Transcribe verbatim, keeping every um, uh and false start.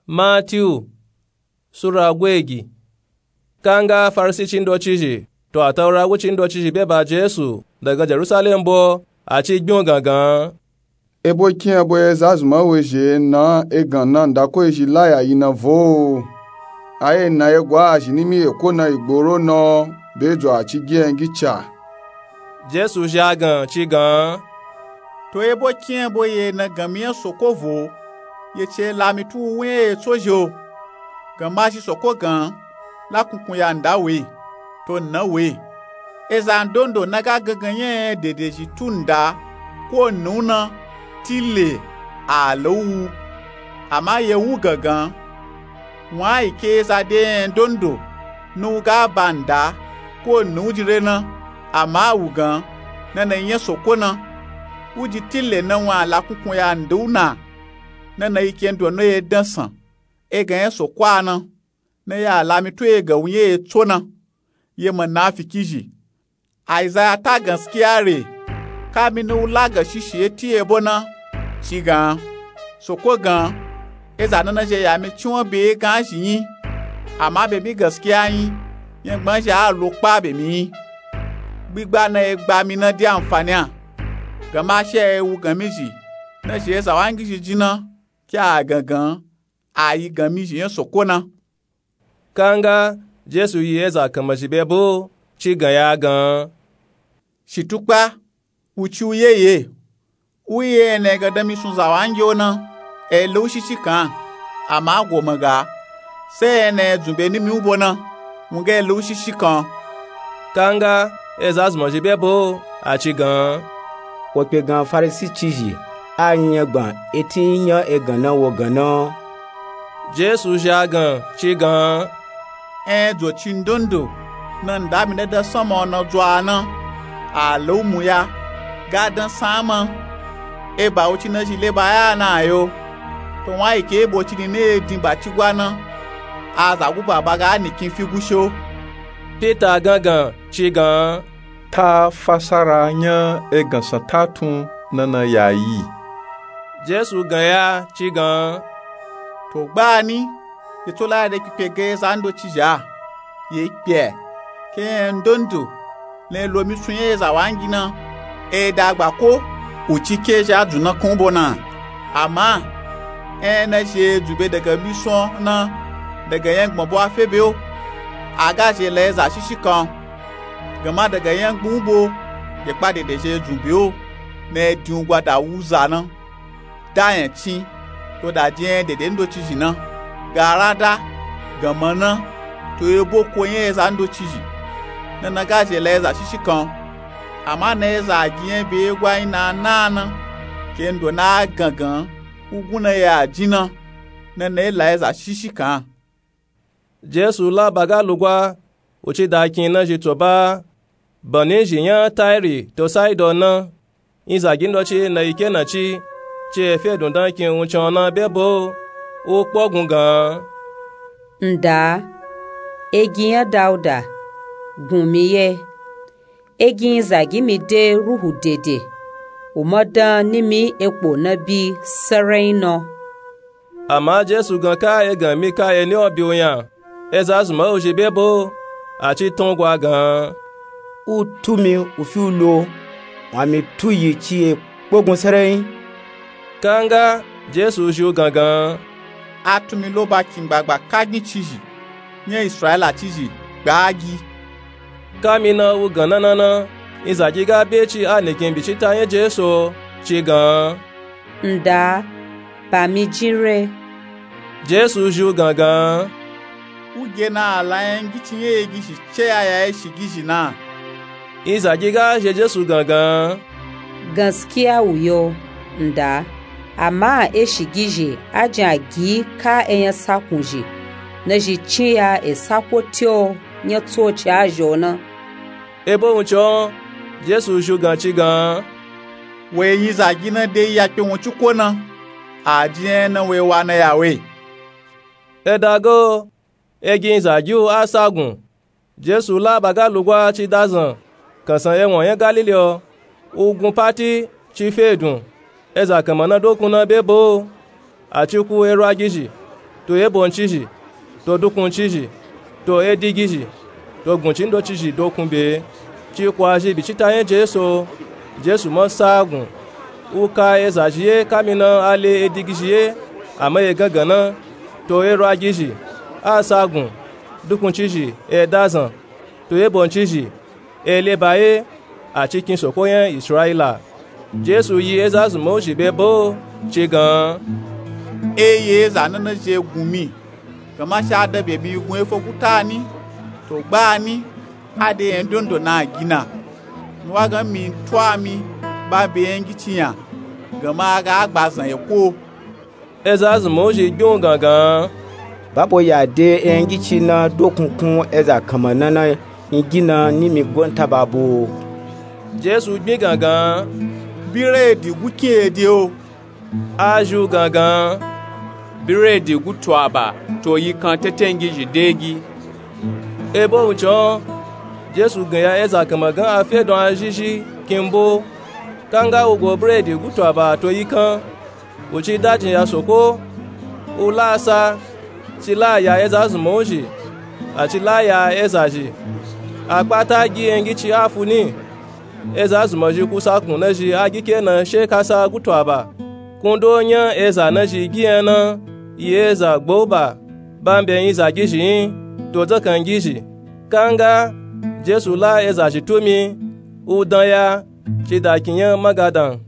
Matiyu sura gweji. Kanga farisici ndocizhi to ataura wuci ndocizhi be ba jesu daga jerusalem bo aci gbiun gangan. Ebo kiyan bo eza zunma wezhi na egan na ndako ezhi laya yi na vo? Aye na egwa azhi nimi eko na igboro na be dzo aci gi engi ca. Jesu zhi agan ci gan. To ebo kiyan bo ye na ganmi nya soko vo? Ye ce lami tu wu nya ye tso zhi o. Gan ma zhi soko gan la kunkun ya nda we to nna we. Eza ndondo na ga gangan nya dede zhi tu nda ko nna wu na tile a lo wu. Ama ye wu gangan wan a yi ke eza de nya ndondo na wu ga ba nda ko nna wu jire na. Ama a wu gan nana yi nya soko na. Wu ji tile na wan a la kunkun ya nda wu na. Nana yi ke ndo na ye dansan egan nya soko a na. Na ya lami tu egan wu nya ye tso na. Ye manafiki zhi. Aizaya ta ganskiya re. Kami na wu la ganshishi eti ebo na ci gan. Soko gan eza nana zhi ya mi ci wan be egan zhi nyi. Ama be mi ganskiya nyi nya gban zhi a lo kpa be mi nyi. Gbigba na ye gba mi na di anfani a. Gan ma shi a ye wu ganmi zhi na zhi eza wangi zhi ji na. Ki a gangan a yi ganmi zhi nya soko na. Kanga jesu yi eza kanman zhi be bo ci gan ya gan. Shi tukpa wu ci wu ye ye. Wu ye ena egan danmi sun za wangi o na. E lo wu shishi kan ama a go man ga. Se ena e dzun be nimi wu bo na. Wu ga e lo wu shishi kan. Kanga eza zunma zhi be bo aci gan. Wo kpe gan farisici zhi a nyi nya gban eti nya egan na wo gan na. Jesu zhi agan ci gan. Enya dzo ci ndondo na nda mi na dan sanma o na dzo a na. A lo wu mu ya ga dan san a ma. Eba wu ci na zhi le ba ya na a yo. To wan a yi ke ebo ci ni na ye din ba ci gwa na. A za gu ba ba ga nikin fi gu sho. Pita gangan ci gan. Ta fasara nya egan san ta tun nana ya yi. Jesu gan ya ci gan. To gbani ye tso la de kpikpe ga eza ndoci zhi a. Ye kpe ke nya ndondo na ye lo mi sun nya eza wangi na. E da gba ko wu ci ke zhi a dzun na kan u bo na. Ama enya na zhi e dzun be daga mi sun na daga nya gbon bo a fe be o. A ga zhi e la eza shishi kan. Gan ma daga nya gbon u bo ye kpa dede zhi e dzun be o. Na ye din wu gwa da wu za na. Da nya cin to da di enya dede ndoci zhi na. Gara da gan ma na to ebo ko nya eza ndoci zhi. Nana ga zhi e la eza shishi kan. Ama na eza gi nya be ye gwa nyi na a na a na ke ndo na a gangan wu gun na ye a jin na. Nana ye la eza shishi kan. Jesu la ba ga lugwa wu ci da kin na zhi to ba. Bani zhi nya tairi to saidon na. Nzagi ndoci na yi ke na ci ci e fe dun dan kin wuncin o na be bo. Wu kpogun gan. Nda egi nya dauda gun mi ye. Egi nzagi mi de ruhu dede wu ma dan nimi ekpo na bi sarai na. Ama jesu gan ka egan mi ka eni o bi wu nya eza zunma wu zhi be bo. Aci tun gwa gan. Wu tu mi wu fi wu lo wan mi tu yi ci e kpogun sarai. Kanga jesu zhi u gangan. A tu mi lo ba kin gbagba kagin ci zhi nya israila ci zhi gba a gi. Kami na wu gan na na na nzagi ga be ci a nikin bicita nya jesu o ci gan. Nda ba mi jin re. Jesu zhi u gangan. Wu ge na a la nya ngi ci nya egi zhi ce ya ya eshigizhi na. Nzagi ga zhe jesu gangan. Ganskiya wu yo nda. Ama eshigizhi a jin a gi ka enya sakun zhi na zhi cin ya e sako ti o nya tsoci a zhi o na. Ebo wuncin o jesu zhi u gan ci gan. Wo yi nzagi na de yi ya kpe wunci ko na. A ji enya na wo yi wa na ya we. E da ga o egi nzagi u a sagun. Jesu la ba ga lugwa ci dazan kansan ewon nya galili o. Wu gun pati ci fe dun eza kanman na dokun na be bo. Aci ku erwagizhi to ebo ncizhi, to dukun cizhi, to edigi zhi, to gun cindo cizhi dokun be. Ci kwazhi bicita nya jesu. Jesu ma sagun, u ka ezazhi ye kamina a le edigi zhi ye, a ma ye gangan na. To erwagi zhi, a sagun, dukun cizhi, edazan, to ebo ncizhi, eleba ye, a cikin soko nya israyila. Jesu yi ezazunma u zhi be bo, ci gan, e yi eza nana zhi egun mi, gama shi a da be mi gun efo guta ni, to gba ni, a de nya ndondo na gina, mi wa gan mi twa mi ba be nya gici nya, gama a ga a gba zan eko. Ezazunma u zhi gbiun gangan, babo ya de nya gici na dokun kun eza kanma nana nya gina ni mi gwan taba bo. Jesu gbin gangan, biredi gukin ede o. A zhi u gangan, biredi gutu aba, to yikan tetengizhi degi. Ebo wuncin o, jesu gan ya eza kanma gan a fe don a zhizhi kin bo. Kanga u go biredi gutu aba to yikan, u ci dajin ya soko, u la sa, ci la ya ezazunma u zhi, a ci la ya ezazhi. A kpata gi nya gici a fu ni. Ezazunma zhi kusa kun na zhi a gike na she kasa gutu aba. Kundo nya eza na zhi gi nya na, yi eza gbo ba, ba mbe yin zagizhi yin, to dzakangizhi. Kanga jesu la ezazhi tumi, u dan ya, ci da kin nya magadan.